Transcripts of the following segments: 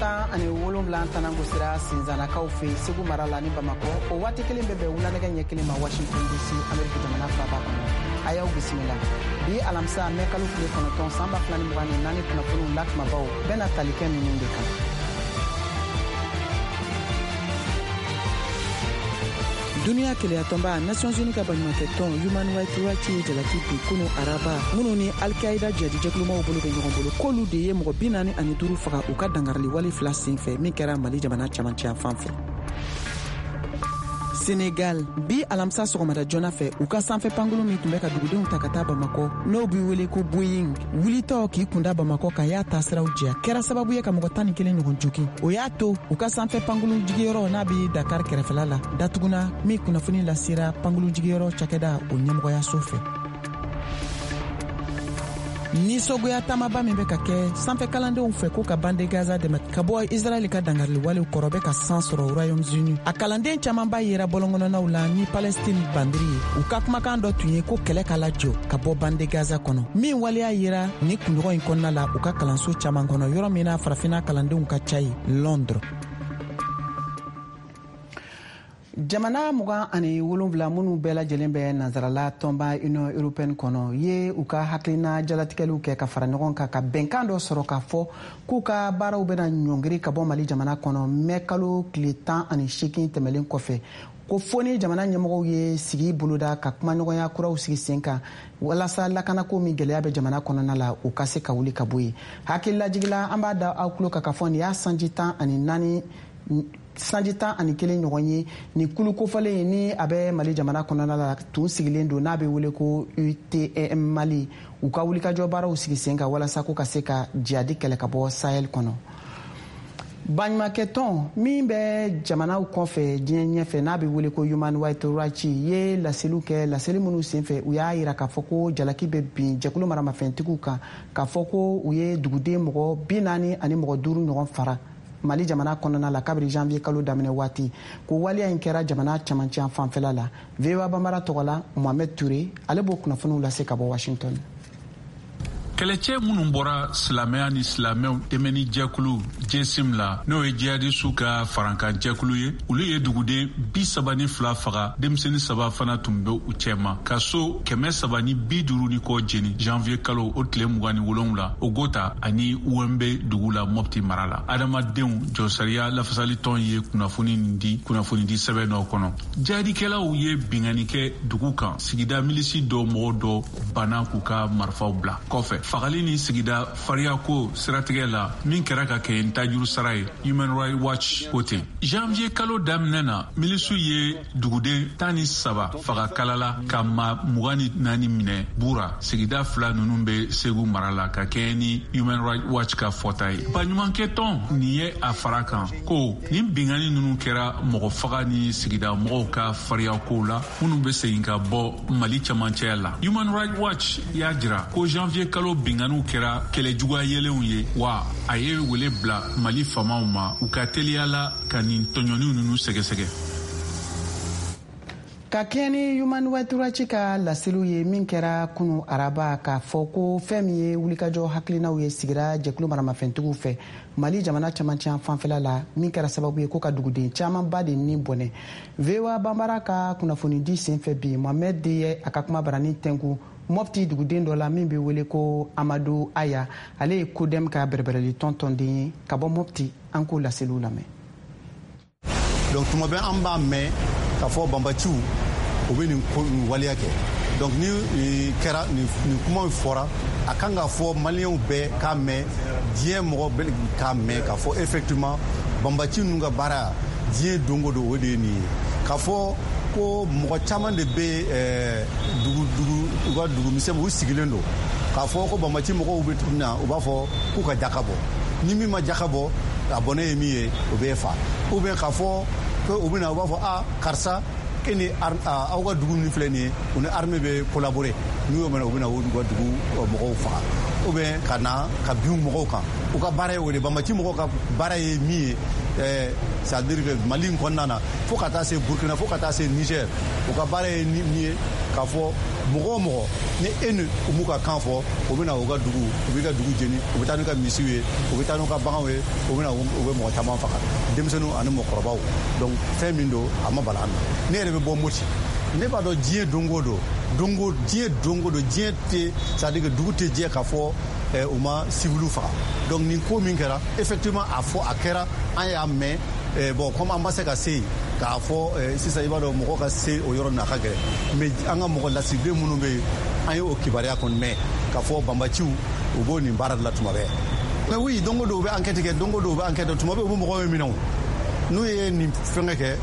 17 tanangosira Sinzanakaw fɛ Segu mara la ni Bamakɔ. O waati kelen bɛ bɛn wulanɛgɛ ɲɛ 1 ma Washington DC, Ameriki jamana faaba kɔnɔ. A y'aw bisimila bi alamisa mɛ kalo tile 9 san 2024 kunnafoniw la kumabaw bɛna tali kɛ ninnu de kan. Duniya kelenyatɔnba Nations Unies ka baɲumankɛtɔn Human Rights Watch ye jalaki bin kunu araba minnu ni Al-Qaïda jihadijɛkulumaw bolo bɛ ɲɔgɔn bolo, k'olu de ye mɔgɔ 45 faga u ka dangarili wale fila sen fɛ min kɛra Mali jamana camancɛ fan fɛ. Senegal, bi alamisa sɔgɔmada joona fɛ, u ka sanfɛ pankurun min tun bɛ ka dugudenw ta ka taa Bamakɔ, n'o bɛ wele ko Boeing, wulitɔ k'i kunda Bamakɔ kan, y'a taasiraw jɛ, kɛra sababu ye ka mɔgɔ 11 ɲɔgɔn jogin. O y'a to u ka sanfɛ pankurun jigiyɔrɔ n'a bɛ Dakar kɛrɛfɛla la datuguna, min kunnafoni lasera pankurun jigiyɔrɔ cakɛda o ɲɛmɔgɔyaso fɛ. Nisɔngoya taamaba min bɛ ka kɛ sanfɛ kalandenw fɛ ko ka bande Gaza dɛmɛ ka bɔ Israɛl ka dangarili walew kɔrɔ bɛ ka san sɔrɔ Royaume-Uni. A kalanden camanba yera bɔlɔnkɔnɔnaw la ni Palestine bandiri ye. U ka kumakan dɔ tun ye ko kɛlɛ ka lajɔ ka bɔ bande Gaza kɔnɔ, min waleya yera ni kunɲɔgɔn in kɔnɔna la u ka kalanso caman kɔnɔ, yɔrɔ min na farafinna kalandenw ka ca ye, Londres. Jamana 27 minnu bɛɛ lajɛlen bɛ nansarala tɔnba Union européenne kɔnɔ ye u ka hakilina jalatigɛliw kɛ ka fara ɲɔgɔn kan ka bɛnkan dɔ sɔrɔ k'a fɔ k'u ka baaraw bɛna ɲɔngiri ka bɔ Mali jamana kɔnɔ mɛ kalo tile 18 tɛmɛlen kɔfɛ, ko fo ni jamana ɲɛmɔgɔw ye sigi boloda ka kumaɲɔgɔnya kuraw sigi sen kan walasa lakanako min gɛlɛya bɛ jamana kɔnɔna la, u ka se ka wuli ka bɔ yen. Hakililajigila, an b'a da aw tulo kan k'a fɔ nin y'a sanji 14, sanji 11 ɲɔgɔn ye ni kulu kofɔlen ni a bɛ Mali jamana kɔnɔna la tun sigilen don, n'a bɛ wele ko UTM Mali, u ka wulikajɔ baaraw sigi sen kan walasa ko ka se ka jihadi kɛlɛ ka bɔ Sahel kɔnɔ. Baɲumankɛtɔn min bɛ jamanaw kɔfɛ diɲɛ ɲɛfɛ, n'a bɛ wele ko Human Rights Watch, ye laseliw kɛ. Laseli minnu senfɛ, u y'a yira k'a fɔ ko jalaki bɛ bin jɛkulu maramafɛntigiw kan k'a fɔ ko u ye duguden mɔgɔ 45 ɲɔgɔn fara Mali jamana kɔnɔna la kabiri janvier kalo daminɛ waati, ko waleya in kɛra jamana camancɛ fanfɛla la. VOA Bambara tɔgɔ la, Mohamed Touré, ale b'o kunnafoniw lase ka bɔ Washington. Kɛlɛcɛ minnu bɔra silamɛya ni silamɛw dɛmɛni jɛkulu JSIM la, n'o ye jihadisiw ka farankan jɛkulu ye, olu ye duguden 32 faga, denmisɛnnin saba fana tun bɛ u cɛma, ka so 350 ni kɔ jeni janvier kalo o tile 27, Ogota ani Ouémbé dugu la, Mopti mara la. Adamadenw jɔsariya lafasalitɔn ye kunnafoni nin di kunnafonidi sɛbɛn dɔ kɔnɔ. Jihadikɛlaw ye binkanni kɛ dugu kan, sigida milisi dɔ mɔgɔ dɔ banna k'u ka marifaw bila. Kɔfɛ, fagali ni sigida fariyako siratigɛ la min kɛra ka kɛ n tajuru sara ye, Human Rights Watch ko ten. Janvier kalo daminɛ na, milisiw ye duguden 13 faga Kalala, ka maa 24 minɛ Bura. Sigida fila ninnu bɛ Segu mara la, ka kɛɲɛ ni Human Rights Watch ka fɔta ye. Baɲumankɛtɔn nin ye a fara kan ko nin binkanni ninnu kɛra mɔgɔ faga ni sigida mɔgɔw ka fariyakow la minnu bɛ segin ka bɔ Mali camancɛya la. Human Rights Watch y'a jira ko janvier kalo binkanniw kɛra kɛlɛ juguya yelenw ye, wa a ye wele bila Mali faamaw ma u ka teliya la ka nin tɔɲɔniw ninnu sɛgɛsɛgɛ. Ka kɛɲɛ ni Human Rights Watch ka laseliw ye min kɛra kunu araba, k'a fɔ ko fɛn min ye wulikajɔ hakilinaw ye sigira jɛkulu maramafɛntigiw fɛ Mali jamana camancɛ fanfɛla la, min kɛra sababu ye ko ka duguden camanba de ni bɔnɛ, VOA Bambara ka kunnafonidi senfɛ bi, Mohamed de ye a ka kuma barani tɛnku Mɔpti duguden dɔ la min bɛ wele ko Amadu Aya. Ale ye CODEM ka bɛrɛbɛrɛli tɔn tɔnden ye ka bɔ Mɔpti. An k'o laseliw lamɛn. Donc tuma bɛɛ an b'a mɛn k'a fɔ banbaciw u bɛ nin ko nin waleya kɛ. Donc ni kɛra nin kumaw fɔra, a kan ka fɔ maliyɛnw bɛɛ k'a mɛn, diɲɛ mɔgɔ bɛɛ k'a mɛn k'a fɔ effectivement banbaci ninnu ka baara diɲɛ don o don, o de ye nin ye, k'a fɔ ko mɔgɔ caman de bɛ dugu dugu u ka dugu misɛn u sigilen don k'a fɔ ko banbaci mɔgɔw bɛ na, u b'a fɔ k'u ka jaka bɔ, ni min ma jaka bɔ, a bɔnɛ ye min ye, o bɛ fa, ou bien k'a fɔ ko u bɛ na, u b'a fɔ a karisa, e ni aw ka dugu min filɛ nin ye, u ni armée bɛ collaborer. N'u y'o minɛ, u bɛ na u ka dugu mɔgɔw faga. ou bien ka na ka bin mɔgɔw kan. U ka baara ye o de. Banbaci mɔgɔw ka baara ye min ye, c'est à dire que Mali in kɔnɔna na, fo ka taa se Burkina, fo ka taa se Niger, u ka baara ye min ye, k'a fɔ mɔgɔ o mɔgɔ ni e ni u m'u ka kan fɔ, u bɛ na u ka dugu, u b'i ka dugu jeni, u bɛ taa n'u ka misiw ye, u bɛ taa n'u ka baganw ye, u bɛ na, u bɛ mɔgɔ caman faga, denmisɛnninw ani mɔgɔkɔrɔbaw. Donc fɛn min don, a ma bala an na. Ne yɛrɛ bɛ bɔ Moti, ne b'a dɔn diɲɛ don o don, don diɲɛ don o don, diɲɛ tɛ, c'est à dire que dugu tɛ jɛ k'a fɔ u ma civiliw faga. Donc nin ko min kɛra, effectivement, a fɔ a kɛra, an y'a mɛn. Bon, comme an ma se ka se yen k'a fɔ sisan, i b'a dɔn mɔgɔ ka se o yɔrɔ nin a ka gɛlɛn, mais an ka mɔgɔ lasigiden minnu bɛ yen, an ye o kibaruya kɔni mɛn k'a fɔ banbaciw u b'o nin baara de la tuma bɛɛ. Mais oui, don o don u bɛ enquête kɛ, don o don u bɛ enquête kɛ, tuma bɛɛ u bɛ mɔgɔw minɛ. O n'u ye nin fɛngɛ kɛ,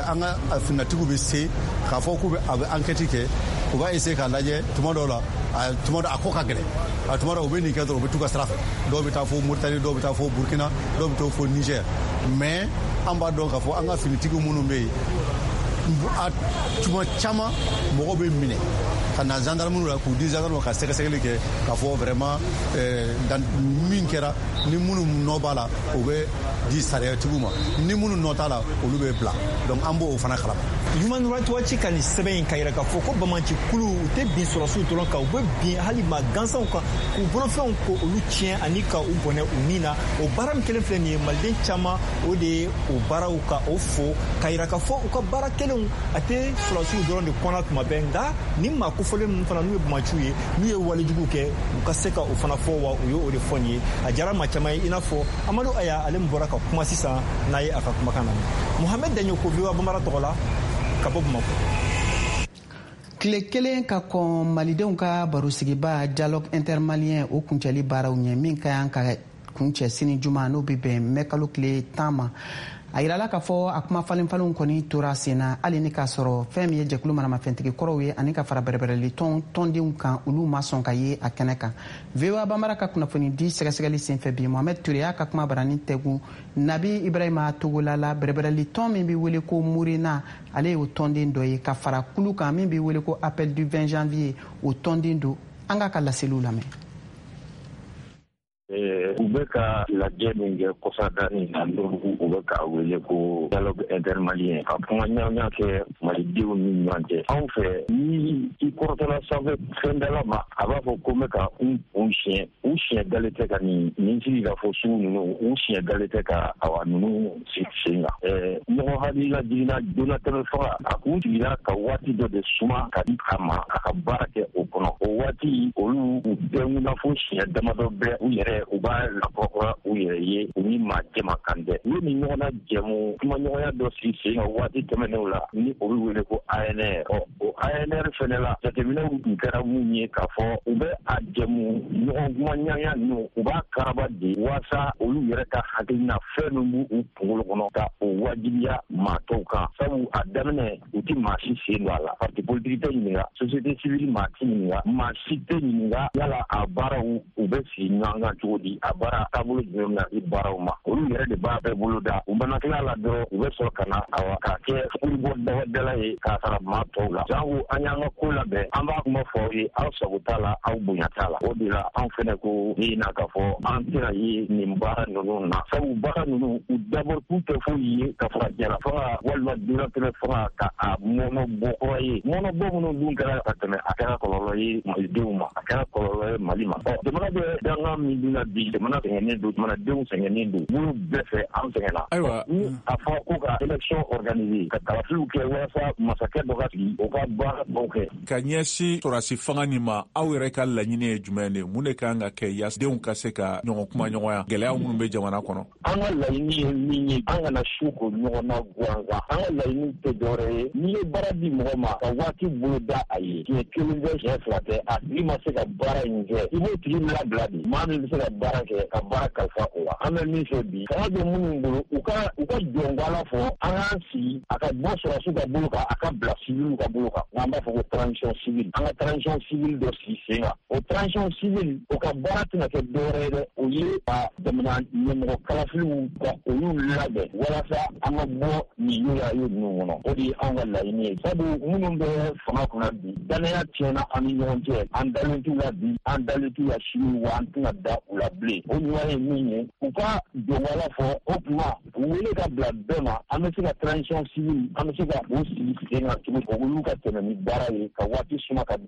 an ka finitigiw bɛ se k'a fɔ k'u bɛ a bɛ enquête kɛ, u b'a essayer k'a lajɛ. Tuma dɔw la, a tuma dɔ a ko ka gɛlɛn, a tuma dɔw u bɛ nin kɛ dɔrɔn, u bɛ t'u ka sira fɛ. Dɔw bɛ taa fo Mauritanie, dɔw bɛ taa fo Burkina, dɔw bɛ taa fo Niger. Mais an b'a dɔn k'a fɔ an ka finitigiw minnu bɛ yen, a tuma caman mɔgɔw bɛ minɛ ka na gendarme la, k'u di gendarme ka sɛgɛsɛgɛli kɛ k'a fɔ vraiment min kɛra, ni minnu nɔ b'a la, o bɛ di sariyatigiw ma, ni minnu nɔ t'a la, olu bɛ bila. Donc an b'o fana kalama. Human Rights Watch ka nin sɛbɛn in ka yira k'a fɔ ko banbaanci kulu, u tɛ bin sɔrɔsiw dɔrɔn kan, u bɛ bin hali maa gansanw kan, k'u bolofɛnw ko olu tiɲɛ ani ka u bɔnɛ u ni na. O baara min kelen filɛ nin ye, maliden caman o de ye o baaraw ka o fo ka yira k'a fɔ u ka baara kelenw a tɛ sɔrɔsiw dɔrɔn de kɔnɔ tuma bɛɛ, nka ni maa kofɔlen ninnu fana, n'u ye banbaanciw ye, n'u ye walejugu kɛ, u ka se ka o fana fɔ. Wa u ye o de fɔ nin ye, a diyara maa caman ye, i n'a fɔ Amadu Aya, ale min bɔra ka kuma sisan n'a ye a ka kumakan lamɛn. Mohamed Daɲoko, VOA Bambara tɔgɔ la, ka bɔ Bamakɔ. Tile kelen ka kɔn malidenw ka barosigiba dialogue intermalien o kuncɛli baaraw ɲɛ, min ka kan ka kuncɛ sini juma, n'o bɛ bɛn mɛkalo tile 10 ma, a yirala k'a fɔ a kuma falenfalenw kɔni tora sen na, hali ni k'a sɔrɔ fɛn min ye jɛkulu maramafɛntigi kɔrɔw ye ani ka fara bɛrɛbɛrɛli tɔn tɔndenw kan, olu ma sɔn ka ye a kɛnɛ kan. VOA Bambara ka kunnafoni di sɛgɛsɛgɛli senfɛ bi, Mohamed Ture y'a ka kuma barani tɛgun Nabi Ibrahima Togola la, bɛrɛbɛrɛli tɔn min bɛ wele ko Murena, ale y'o tɔnden dɔ ye, ka fara kulu kan min bɛ wele ko Appel du 20 janvier, o tɔnden don. An k'a ka laseliw lamɛn. U bɛ ka lajɛ min kɛ kɔsadani na, n'u u bɛ k'a wele ko dialogue intermalien, ka kuma ɲɔgɔnya kɛ malidenw ni ɲɔgɔn cɛ, anw fɛ, ni i kɔrɔtɔla sanfɛ fɛndala ma, a b'a fɔ ko n bɛ ka n kun siɲɛ, u siɲɛ dalen tɛ ka nin sigi ka fɔ sugu ninnu, u siɲɛ dalen tɛ ka awa ninnu sigi sen kan. Ɲɔgɔn hakilila jiginna donnatɛmɛ faga, a kun sigira ka waati dɔ de suma ka di a ma a ka baara kɛ o kɔnɔ. O waati, olu u bɛɛ fo siɲɛ damadɔ bɛɛ u yɛrɛ u b'a lakɔrɔkura u yɛrɛ ye, u ni maa jɛma kan tɛ. U ye nin ɲɔgɔnna jɛmu kumaɲɔgɔnya dɔ sigi sen kan waati tɛmɛnenw la, ni o bɛ wele ko ANR. Ɔ, o ANR fɛnɛ la, jateminɛw tun kɛra mun ye k'a fɔ u bɛ a jɛmu ɲɔgɔn kumaɲɔgɔnya ninnu, u b'a karaba de waasa olu yɛrɛ ka hakilina fɛn min b'u kunkolo kɔnɔ, ka o wajibiya maa tɔw kan, sabu a daminɛ u ti maa si sen don a la. Parti politique tɛ ɲininka, société civile maa ti ɲininka, maa si tɛ ɲininka yala a baaraw u bɛ sigi ɲɔgɔn kan cogo di, a baara taabolo jumɛn bɛna di baaraw ma. Olu yɛrɛ de b'a bɛɛ bolo da. U mana tila la dɔrɔn, u bɛ sɔrɔ ka na awa k'a kɛ fuguribɔ dabadala ye k'a sara maa tɔw la. Jango an y'an ka ko labɛn, an b'a kuma fɔ aw ye, aw sago t'a la, aw bonya t'a la. O de la anw fɛnɛ ko ni na k'a fɔ an tɛna ye nin baara ninnu na, sabu baara ninnu u dabɔ kun tɛ foyi ye ka fara jala faga walima donnatɛmɛ faga ka a mɔnɔ bɔ kura ye. Mɔnɔ bɔ minnu dun kɛra ka tɛmɛ, a kɛra kɔlɔlɔ ye malidenw ma, a kɛra kɔlɔlɔ ye Mali ma. Ɔ, jamana bɛ dangan min dun na bi, jamana sɛgɛnnen don, jamanadenw sɛgɛnnen don bolo bɛɛ fɛ, an sɛgɛnna. Ayiwa, ni a fɔra ko ka élection organiser, ka kalafiliw kɛ walasa masakɛ dɔ ka sigi, o ka baara dɔw kɛ. Ka ɲɛsin sɔrɔsi fanga nin ma, aw yɛrɛ ka laɲini ye jumɛn de? Mun de kan ka kɛ yaasa denw ka se ka ɲɔgɔn kuma ɲɔgɔnya gɛlɛya minnu bɛ jamana kɔnɔ? An ka laɲini ye min ye, an kana su ko ɲɔgɔn na gansan. An ka laɲini tɛ dɔwɛrɛ ye, n'i ye baara di mɔgɔ ma ka waati bolo da a ye, siɲɛ kelen tɛ, siɲɛ fila tɛ, a tigi ma se ka baara in kɛ, i b'o tigi labila de. Maa min bɛ se ka baara kɛ. kɛ ka baara kalifa o la. An bɛ min fɛ bi, fanga bɛ minnu bolo, u ka jɔngala fɔ, an k'an sigi, a ka bɔ sɔrɔsiw ka bolo kan, a ka bila civiliw ka bolo kan, n'an b'a fɔ ko transition civile. An ka transition civile dɔ sigi sen kan. O transition civile, o ka baara tɛna kɛ dɔwɛrɛ ye dɛ, o ye ka jamana ɲɛmɔgɔ kalafiliw ka olu labɛn walasa an ka bɔ nin yoyayo ninnu kɔnɔ. O de ye anw ka laɲini ye, sabu minnu bɛ fanga kunna bi, danaya tiɲɛna an ni ɲɔgɔn cɛ. An dalen t'u la bi, an dalen t'u la sini, wa an tɛna da u la bilen. O ɲuman ye min ye, u ka jɔngala fɔ, o tuma u wele ka bila bɛɛ ma. An bɛ se ka transition civile, an bɛ se ka o sigi sen kan cogo, olu ka tɛmɛ ni baara ye ka waati suma ka